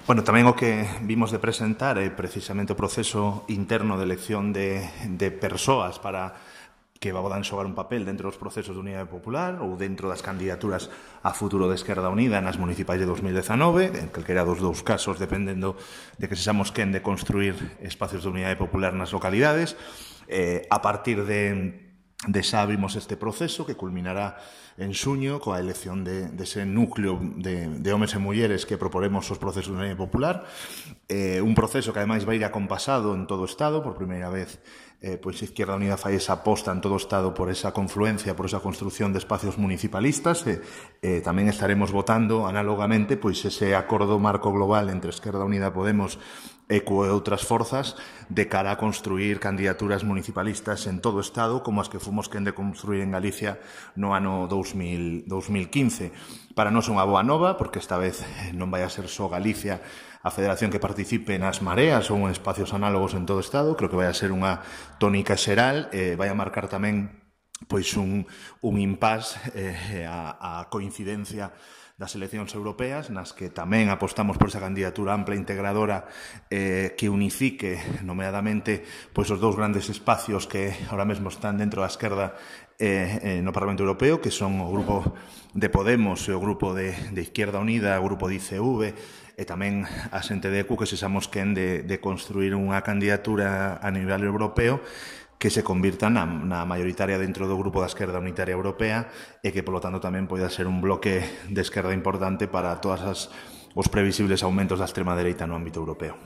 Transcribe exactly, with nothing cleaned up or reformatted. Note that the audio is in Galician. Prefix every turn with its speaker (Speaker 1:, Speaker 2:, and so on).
Speaker 1: Bueno, tamén o que vimos de presentar é precisamente o proceso interno de elección de, de persoas para que podan xogar un papel dentro dos procesos de Unidade Popular ou dentro das candidaturas a futuro de Esquerda Unida nas municipais de dos mil dezanove, en calquera dos dous casos, dependendo de que sexamos quen de construir espacios de Unidade Popular nas localidades. Eh, a partir de de xa abrimos este proceso que culminará en xuño coa elección de, de ese núcleo de, de homes e mulleres que proporemos os procesos de Unidade Popular, eh, un proceso que ademais vai ir acompasado en todo o Estado. Por primeira vez, eh, pois Izquierda Unida fai esa aposta en todo o Estado por esa confluencia, por esa construción de espacios municipalistas. E eh, tamén estaremos votando análogamente pois ese acordo marco global entre Esquerda Unida, Podemos e coe outras forzas de cara a construir candidaturas municipalistas en todo o Estado, como as que fomos quen de construir en Galicia no ano dous mil quince. Para nós é unha boa nova, porque esta vez non vai a ser só Galicia a federación que participe nas mareas ou en espacios análogos en todo o Estado. Creo que vai a ser unha tónica xeral, e vai a marcar tamén pois un, un impás eh, a, a coincidencia das eleccións europeas, nas que tamén apostamos por esa candidatura ampla e integradora eh, que unifique, nomeadamente, pois os dous grandes espacios que ahora mesmo están dentro da esquerda eh, eh, no Parlamento Europeo, que son o grupo de Podemos e o grupo de, de Izquierda Unida, o grupo de I C V, e tamén a xente de E Q, que sexamos quen de, de construir unha candidatura a nivel europeo que se convirta na, na mayoritaria dentro do grupo da Esquerda Unitaria Europea, e que, polo tanto, tamén poida ser un bloque de esquerda importante para todas as, os previsibles aumentos da extrema dereita no ámbito europeo.